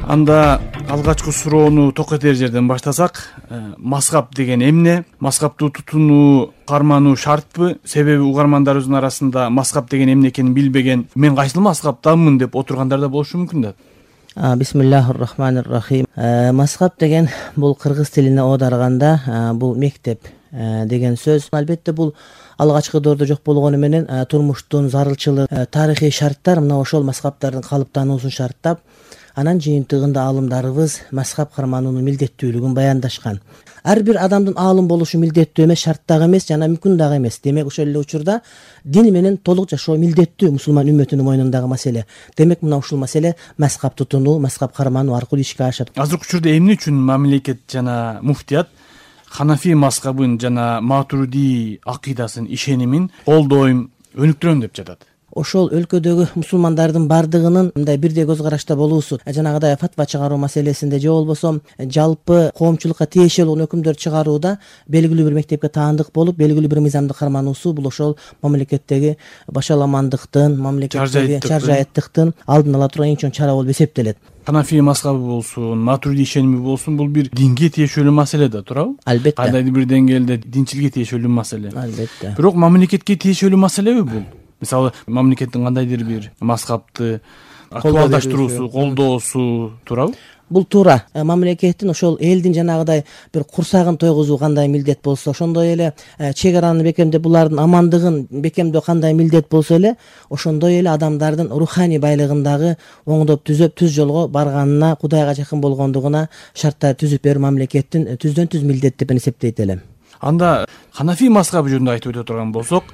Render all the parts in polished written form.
Анда алгачкы суроону токетер жерден баштасак, мазхаб деген эмне? Мазхабты тутунуу, кармануу шартпы? Себеби угармандарыбыздын арасында мазхаб деген эмне экенин билбеген, мен кайсыл мазхабтанмын деп отургандар да болушу мүмкүн да. Бисмиллахир-рахманир-рахим. Мазхаб деген бул кыргыз тилине оодарганда бул мектеп деген сөз. Албетте бул алгачкы доордо жок болгону менен турмуштун зарылчылыгы, тарыхый шарттар мына ошол мазхабтардын калыптануусун шарттап, анан жыйынтыгында аалымдарыбыз мазхаб кармануунун милдеттүүлүгүн баяндашкан. Ар бир адамдын аалым болушу милдеттүү эмес, шарт дагы эмес, жана мүмкүн дагы эмес. Демек ошол эле учурда дин менен толук жашоо милдеттүү мусулман үммөтүнүн мойнундагы маселе. Демек мына ушул маселе мазхаб тутунуу, мазхаб кармануу аркылуу ишке ашат. Азыркы учурда эмне үчүн мамлекет жана муфтият Ханафи мазхабын жана Матуриди акыйдасын, ишенимин колдойм, өнүктүрөм деп жатат? Ошол өлкөдөгү мусулмандардын бардыгынын мындай бирдей көз карашта болуусу, жанагыдай фатва чыгаруу маселесинде же болбосо жалпы коомчулукка тиешелүү өкүмдөр чыгарууда белгилүү бир мектепке таандык болуп, белгилүү бир мыйзамды кармануусу бул ошол мамлекеттеги башаламандыктын, мамлекеттеги чаржайыттыктын алдын ала турган эң чоң чара болуп эсептелет. Ханафи мазхабы болсун, Матуриди ишеними болсун, бул бир динге тиешелүү маселе да, туурабы? Албетте. Кандайдыр бир деңгээлде динчиликке тиешелүү маселе. Албетте. Бирок мамлекетке тиешелүү маселеби бул? Мисалы, мамлекеттин кандайдыр бир мазхабты актуалдаштыруусу, колдоосу туурабы? Бул туура. Мамлекеттин ошол элдин жанагыдай бир курсагын тойгузуу кандай милдет болсо, ошондой эле чек араны бекемдеп булардын амандыгын бекемдөө кандай милдет болсо эле, ошондой эле адамдардын руханий байлыгын дагы оңдоп түз жолго барганына, Кудайга жакын болгондугуна шарттар түзүп берүү мамлекеттин түздөн түз милдет деп эсептейт элем. Анда Ханафи мазхабы жөнүндө айтып өтө турган болсок,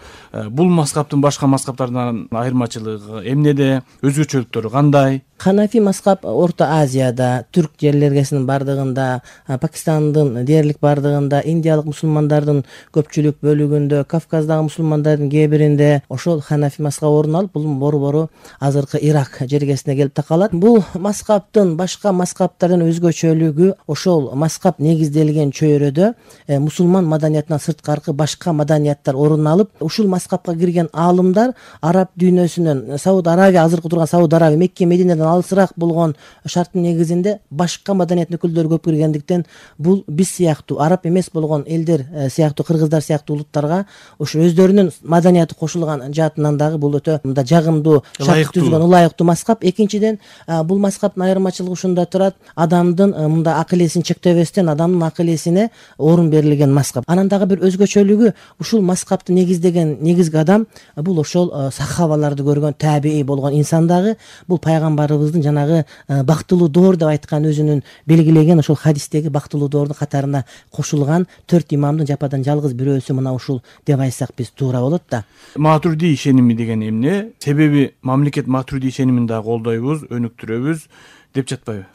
бул мазхабтын башка мазхабтардан айырмачылыгы эмнеде, өзгөчөлүктөрү кандай? Ханафи мазхаб Орто Азияда, түрк жерлергесинин бардыгында, Пакистандын дээрлик бардыгында, индиялык мусулмандардын көпчүлүк бөлүгүндө, Кавказдагы мусулмандардын кээ биринде ошол Ханафи мазхаб орун алып, бул борбору азыркы Ирак жергесине келип такалат. Бул мазхабтын башка мазхабтардан өзгөчөлүгү ошол мазхаб негизделген чөйрөдө мусулман маданиятынан сырткаркы башка маданияттар орун алып, ушул мазхабка кирген аалымдар араб дүйнөсүнөн, Сауд Арабия, азыркы турган Сауд Арабия, Мекке, Мединеден алысыраак болгон шарттын негизинде башка маданияттын өкүлдөрү көп киргендиктен, бул биз сыяктуу араб эмес болгон элдер сыяктуу, кыргыздар сыяктуу улуттарга ошо өздөрүнүн маданияты кошулган жаатынан дагы бул өтө мындай жагымдуу, шарт түзгөн ылайыктуу мазхаб. Экинчиден, бул мазхабтын айырмачылыгы ушунда турат: адамдын мындай акыл эсин чектебестен адамдын акыл эсине орун берилген мазхаб. Анан дагы бир өзгөчөлүгү, ушул мазхабты негиздеген негизги адам бул ошол сахабаларды көргөн табии болгон инсан дагы, бул пайгамбарыбыздын жанагы бактылуу доор деп айткан, өзүнүн белгилеген ошол хадистеги бактылуу доордун катарына кошулган 4 имамдын жападан жалгыз бирөөсү мына ушул деп айтсак биз туура болот да. Матуриди ишеними деген эмне? Себеби мамлекет Матуриди ишенимин да колдойбуз, өнүктүрөбүз деп жатпайбы?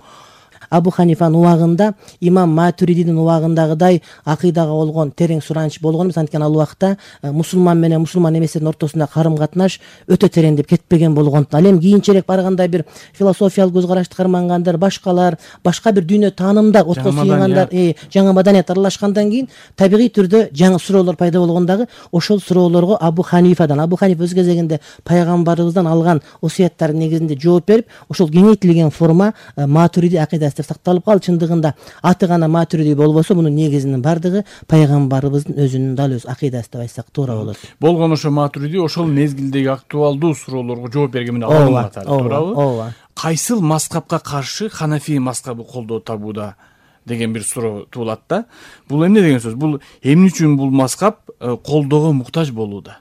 Абу Ханифанын убагында, имам Матуридинин убагындагыдай акыйдага болгон терең сураныч болгон эмес. Анткени ал убакта мусулман менен мусулман эместердин ортосунда карым-катнаш өтө тереңдеп кетпеген болгондуктан, ал эми кийинчерээк барганда бир философиялык көз карашты кармангандар, башкалар, башка бир дүйнө таанымда отко сыйгандар, жаңы маданият аралашкандан кийин табигый түрдө жаңы суроолор пайда болгондагы, ошол суроолорго Абу Ханифа өз кезегинде пайгамбарыбыздан алган осуяттардын негизинде жооп берип, ошол кеңейтилген форма Матуриди акыйдасы сакталып калды. Чындыгында аты гана Матуриди болбосо, мунун негизинин бардыгы пайгамбарыбыздын өзүнүн дал өз акыйдасы деп айтсак туура болот. Болгон ошо Матуриди ошол мезгилдеги актуалдуу суроолорго жооп берген менен алынган, туурабы? Ооба. Кайсыл мазхабка каршы Ханафи мазхабы колдоо табууда деген бир суроо туулат да. Бул эмне деген сөз? Бул эмне үчүн бул мазхаб колдоого муктаж болууда?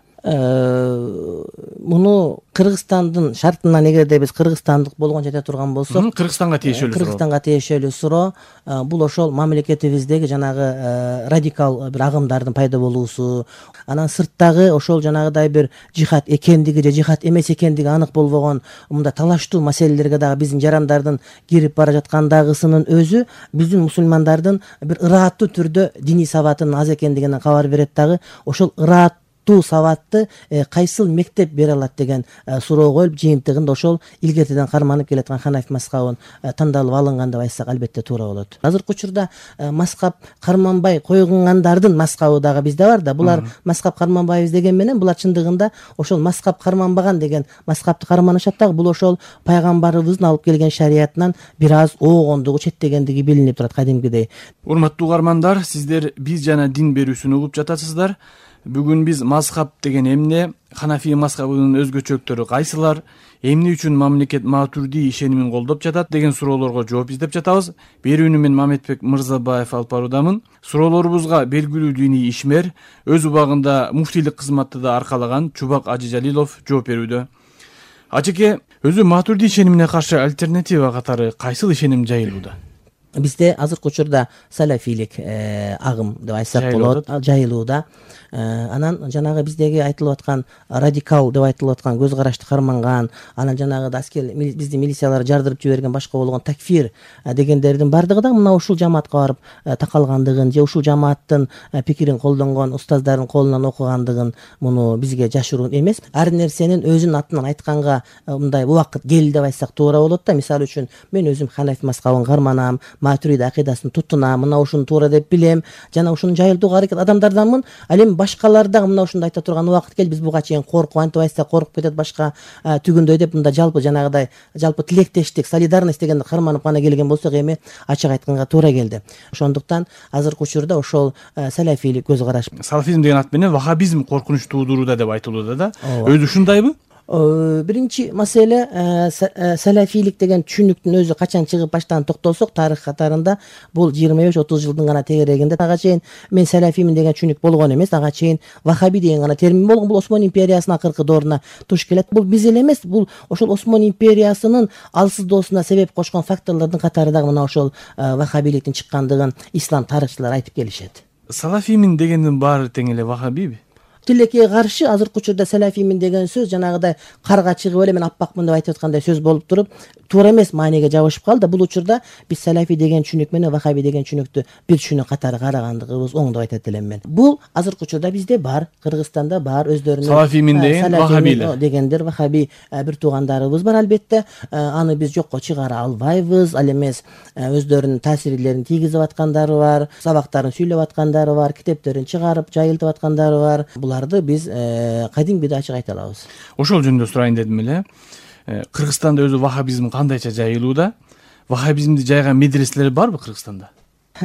Муну Кыргызстандын шартынан, эгерде биз кыргызстандык болгончо айта турган болсок, Кыргызстанга тиешелүү суроо. Бул ошол мамлекетибиздеги жанагы радикал бир агымдардын пайда болуусу, анан сырттагы ошол жанагыдай бир жихад экендиги же жихад эмес экендиги анык болбогон мындай талаштуу маселелерге дагы биздин жарандардын кирип бара жаткандагысынын өзү биздин мусулмандардын бир ырааттуу түрдө диний сабатынын аз экендигинен кабар берет дагы. Ошол ыраат сабактуу сабатты кайсыл мектеп бере алат деген суроо коюлуп, жыйынтыгында ошол илгертеден карманып келаткан Ханафи мазхабын тандалып алынган деп айтсак албетте туура болот. Азыркы учурда мазхаб карманбай койгондардын мазхабы дагы бизде бар да. Булар мазхаб карманбайбыз деген менен булар чындыгында ошол мазхаб карманбаган деген мазхабты карманышат дагы. Бул ошол пайгамбарыбыздын алып келген шариятынан бир аз оогондугу, четтегендиги билинип турат кадимкидей. Урматтуу угармандар, сиздер биз жана дин берүүсүн угуп жатасыздар. Бүгүн биз мазхаб деген эмне, Ханафи мазхабынын өзгөчөлүктөрү кайсылар, эмне үчүн мамлекет Матурди ишенимин колдоп жатат деген суроолорго жооп издеп жатабыз. Берүүнү мен Мамедбек Мырзабаев алып баруудамын. Суроолорубузга белгилүү диний ишмер, өз убагында муфтийлик кызматты да аркалаган Чубак Ажы Жалилов жооп берүүдө. Ажеке, өзү Матурди ишенимине каршы альтернатива катары кайсыл ишеним жайылууда? Бизде азыркы учурда салафилик агым деп айтсак болот, жайылууда. Анан жанагы биздеги айтылып аткан радикал деп айтылып аткан көз карашты карманган, анан жанагы аскер биздин милициялар жардырып жиберген башка болгон такфир дегендердин бардыгы да мына ушул жамаатка барып такалгандыгын же ушул жамааттын пикирин колдонгон устаздардын колунан окугандыгын муну бизге жашыруун эмес. Ар нерсенин өзүнүн атынан айтканга мындай убакыт келди деп айтсак туура болот да. Мисалы үчүн мен өзүм Ханафи мазхабын карманам, Матуриди акыйдасын тутунам, мына ушуну туура деп билем, жана ушуну жайылтууга аракет адамдарданмын. Ал эми башкалар дагы мына ушундай айта турган убакыт келди, биз буга чейин коркуп антип айтсак коркуп кетет башка түгүндөй деп мында жалпы жанагыдай жалпы тилектештик, солидарность дегенди карманып гана келген болсок эми ачык айтканга туура келди. Ошондуктан азыркы учурда ошол салафилик көз караш. Салафизм деген ат менен вахабизм коркунуч туудурууда деп айтылууда да. Өзү ушундайбы? Биринчи маселе салафилик деген түшүнүктүн өзү качан чыгып баштаган токтолсок, тарых катарында бул 25-30 жылдын гана тегерегинде. Ага чейин мен салафимин деген түшүнүк болгон эмес, ага чейин вахаби деген гана термин болгон. Бул Осмон империясынын акыркы дооруна туш келет. Бул биз эле эмес, бул ошол Осмон империясынын алсыздоосуна себеп кошкон факторлордун катары дагы мына ошол вахабиликтин чыккандыгын ислам тарыхчылар айтып келишет. Салафимин дегендин баары тең эле вахабиби? Тилекке каршы азыркы учурда салафимин деген сөз жанагыдай карга чыгып эле мен аппакмын деп айтып аткандай сөз болуп туруп туура эмес мааниге жабышып калды. Бул учурда биз салафи деген түшүнүк менен вахаби деген түшүнүктү бир түшүнүк катары карагандыгыбыз оң деп айтат элем мен. Бул азыркы учурда бизде бар, Кыргызстанда бар, өздөрүнүн салафимин деген вахабилер дегендер вахаби бир туугандарыбыз бар албетте. Аны биз жокко чыгара албайбыз. Ал эмес өздөрүнүн таасирлерин тийгизип аткандары бар, сабактарын сүйлөп аткандары бар, китептерин чыгарып жайылтып аткандары бар. Буларды биз кадимгидей ачык айта алабыз. Ошол жөнүндө сурайын дедим эле. Кыргызстанда өзү вахабизм кандайча жайылууда? Вахабизмди жайган медреселер барбы Кыргызстанда?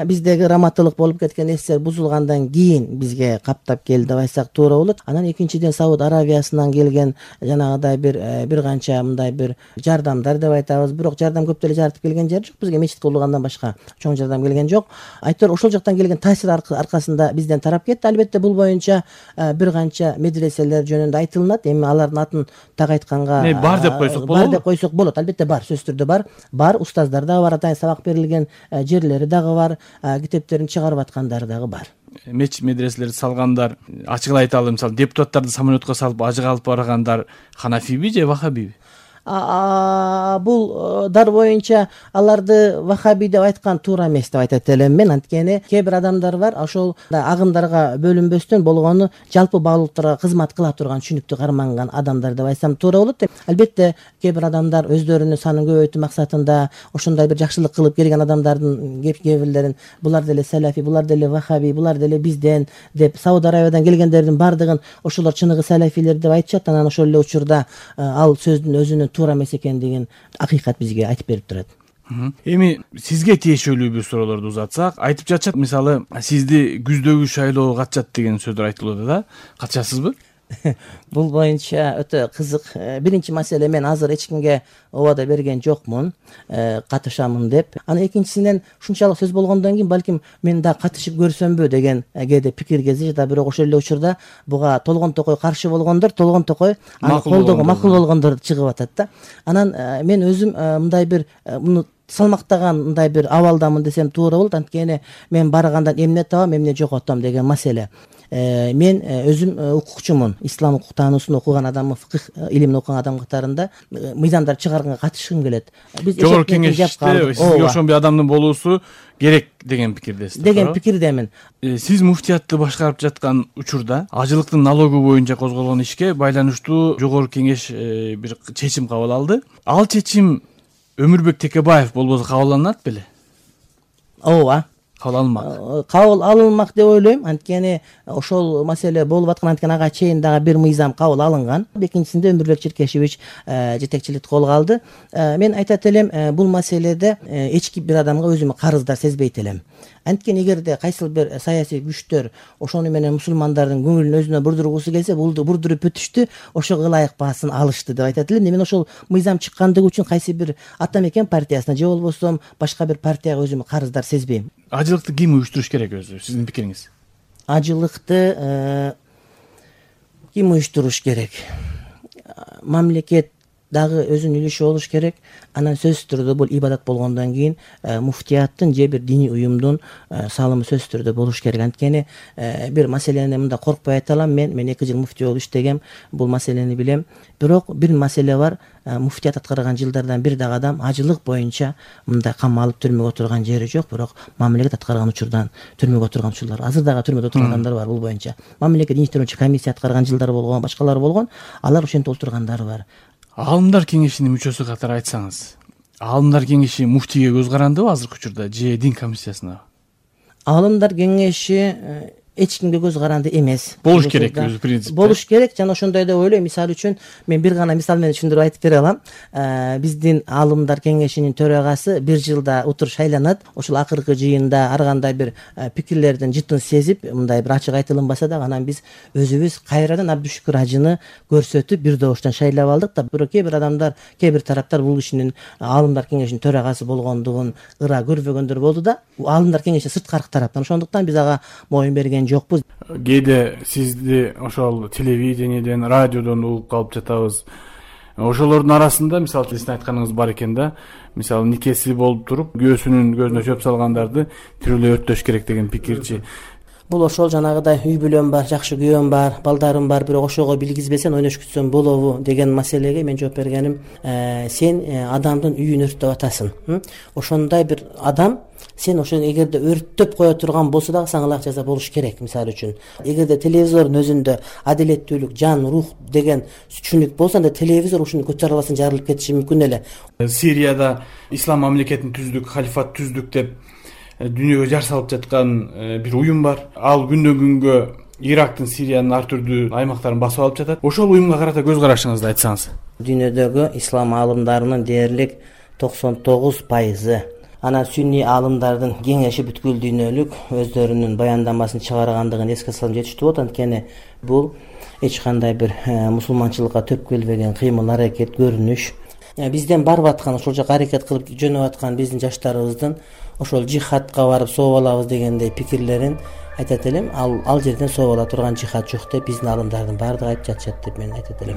Биздеги раматтылык болуп кеткен нерселер бузулгандан кийин бизге каптап келди деп айтсак туура болот. Анан экинчиден Сауд Аравиясынан келген жанагыдай бир канча мындай бир жардамдар деп айтабыз. Бирок жардам көп деле жаратып келген жери жок. Бизге мечит курулгандан башка чоң жардам келген жок. Айтор ошол жактан келген таасир аркасында бизден тарап кетти. Албетте бул боюнча бир канча медреселер жөнүндө айтылынат. Эми алардын атын так айтканга бар деп койсок болобу? Бар деп койсок болот. Албетте бар, сөзсүз түрдө бар. Бар, устаздар дагы бар, атайын сабак берилген жерлери дагы бар. Китептерин чыгарып аткандары дагы бар. Мечит медреселерди салгандар, ачыгын айталы, мисалы депутаттарды самолетко салып ажыга алып баргандар ханафиби же вахабиби? Бул дар боюнча аларды вахаби деп айткан туура эмес деп айтат элем мен. Анткени кээ бир адамдар бар, ошол агымдарга бөлүнбөстөн болгону жалпы баалуулуктарга кызмат кыла турган түшүнүктү карманган адамдар деп айтсам туура болот. Албетте кээ бир адамдар өздөрүнүн санын көбөйтүү максатында ошондой бир жакшылык кылып келген адамдардын кээ бирлерин булар деле салафи, булар деле вахаби, булар деле бизден деп Сауд Аравиядан келгендердин бардыгын ошолор чыныгы салафилер деп айтышат. Анан ошол эле учурда ал сөздүн өзүнүн туура эмес экендигин акыйкат бизге айтып берип турат. Эми сизге тиешелүү бир суроолорду узатсак, айтып жатышат, мисалы сизди күздөгү шайлоого катышат деген сөздөр айтылууда да. Катышасызбы? Бул боюнча өтө кызык. Биринчи маселе, мен азыр эч кимге убада берген жокмун катышамын деп. Анан экинчисинен ушунчалык сөз болгондон кийин балким мен да катышып көрсөмбү деген кээде пикир кезишет. Бирок ошол эле учурда буга толгон токой каршы болгондор, толгон токой аны колдоого макул болгондор чыгып атат да. Анан мен өзүм мындай бир муну салмактаган мындай бир абалдамын десем туура болот. Анткени мен баргандан эмне табам, эмне жоготом деген маселе. мен өзүм укукчумун, ислам укук таануусун окуган адаммын, фыкых илимин окуган адам катарында мыйзамдар чыгарганга катышкым келет. Биз жогорку кеңеште сизге ошондой адамдын болуусу керек деген пикирдесиз деген пикирдемин. Сиз муфтиятты башкарып жаткан учурда ажылыктын налогу боюнча козголгон ишке байланыштуу жогорку кеңеш бир чечим кабыл алды. Ал чечим Өмүрбек Текебаев болбосо кабыл алынат беле? Ооба, кабыл алынмак. Кабыл алынмак деп ойлойм. Анткени ошол маселе болуп аткан, анткени ага чейин дагы бир мыйзам кабыл алынган. Экинчисинде Өмүрбек Черкешевич жетекчиликти колго алды. Мен айтат элем, бул маселеде эч бир адамга өзүмө карыздар сезбейт элем. Анткени эгерде кайсыл бир саясий күчтөр ошону менен мусулмандардын көңүлүн өзүнө бурдургусу келсе, бурдуруп өтүштү, ошого ылайык баасын алышты деп айтат элем. Мен ошол мыйзам чыккандыгы үчүн кайсы бир ата мекен партиясына же болбосо башка бир партияга өзүмө карыздар сезбейм. Ажылыкты ким уюштуруш керек өзү, сиздин пикириңиз? Ажылыкты ким уюштуруш керек? Мамлекет дагы өзүнүн үлүшү болуш керек. Анан сөзсүз түрдө бул ибадат болгондон кийин муфтияттын же бир диний уюмдун салымы сөзсүз түрдө болуш керек. Анткени бир маселени мында коркпой айта алам. Мен 2 жыл муфтий болуп иштегем, бул маселени билем. Бирок бир маселе бар, муфтият аткарган жылдардан бир дагы адам ажылык боюнча мындай камалып түрмөгө отурган жери жок. Бирок мамлекет аткарган учурдан түрмөгө отурган учурлар, азыр дагы түрмөдө отурган адамдар бар бул боюнча. Мамлекет иништирүүчү комиссия аткарган жылдар болгон, башкалар болгон, алар ошентип отургандар бар. Аалымдар кеңешинин мүчөсү катары айтсаңыз, аалымдар кеңеши муфтийге көз карандыбы азыркы учурда же дин комиссиясына? Аалымдар кеңеши эч кимге көз каранды эмес. Болуш керек өзү принцип. Болуш керек, жана ошондой деп ойлойм. Мисалы үчүн мен бир гана мисал менен түшүндүрүп айтып бере алам. Биздин аалымдар кеңешинин төрагасы бир жылда утур шайланат. Ошол акыркы жыйында ар кандай бир пикирлердин жытын сезип, мындай бир ачык айтылынбаса дагы, анан биз өзүбүз кайрадан Абдушүкүр ажыны көрсөтүп бир добуштан шайлап алдык да. Бирок кээ бир адамдар, кээ бир тараптар бул кишинин аалымдар кеңешинин төрагасы болгондугун ыра көрбөгөндөр болду да. Аалымдар кеңеши сырткары тараптан, ошондуктан биз ага моюн берген жокпуз. Кээде сизди ошол телевидениеден, радиодон угуп калып жатабыз. Ошолордун арасында мисалы сиздин айтканыңыз бар экен да. Мисалы никеси болуп туруп, күйөөсүнүн көзүнө чөп салгандарды тирүүлөй өрттөш керек деген пикирчи. Бул ошол жанагыдай үй бүлөм бар, жакшы күйөөм бар, балдарым бар, бирок ошого билгизбесең ойнош күтсөң болобу деген маселеге мен жооп бергеним, сен адамдын үйүн өрттөп атасың. Ошондой бир адам сен ошону эгерде өрттөп кое турган болсо дагы сага ылайык жаза болуш керек. Мисалы үчүн, эгерде телевизордун өзүндө адилеттүүлүк, жан, рух деген түшүнүк болсо, анда телевизор ушуну көтөрө албастан жарылып кетиши мүмкүн эле. Сирияда ислам мамлекетин түздүк, халифат түздүк деп дүйнөгө жар салып жаткан бир уюм бар. Ал күндөн күнгө Ирактын, Сириянын ар түрдүү аймактарын басып алып жатат. Ошол уюмга карата көз карашыңызды айтсаңыз. Дүйнөдөгү ислам аалымдарынын дээрлик 99%, анан сүнний аалымдардын кеңеши бүткүл дүйнөлүк өздөрүнүн баяндамасын чыгаргандыгын эске салсам жетиштүү болот. Анткени бул эч кандай бир мусулманчылыкка төп келбеген кыймыл, аракет, көрүнүш. Бизден барып аткан, ошол жака аракет кылып жөнөп аткан биздин жаштарыбыздын ошол жихадка барып сооп алабыз дегендей пикирлерин айтат элем. Ал жерден сооп ала турган жихад жок деп биздин аалымдардын баардыгы айтып жатышат деп мен айтат элем.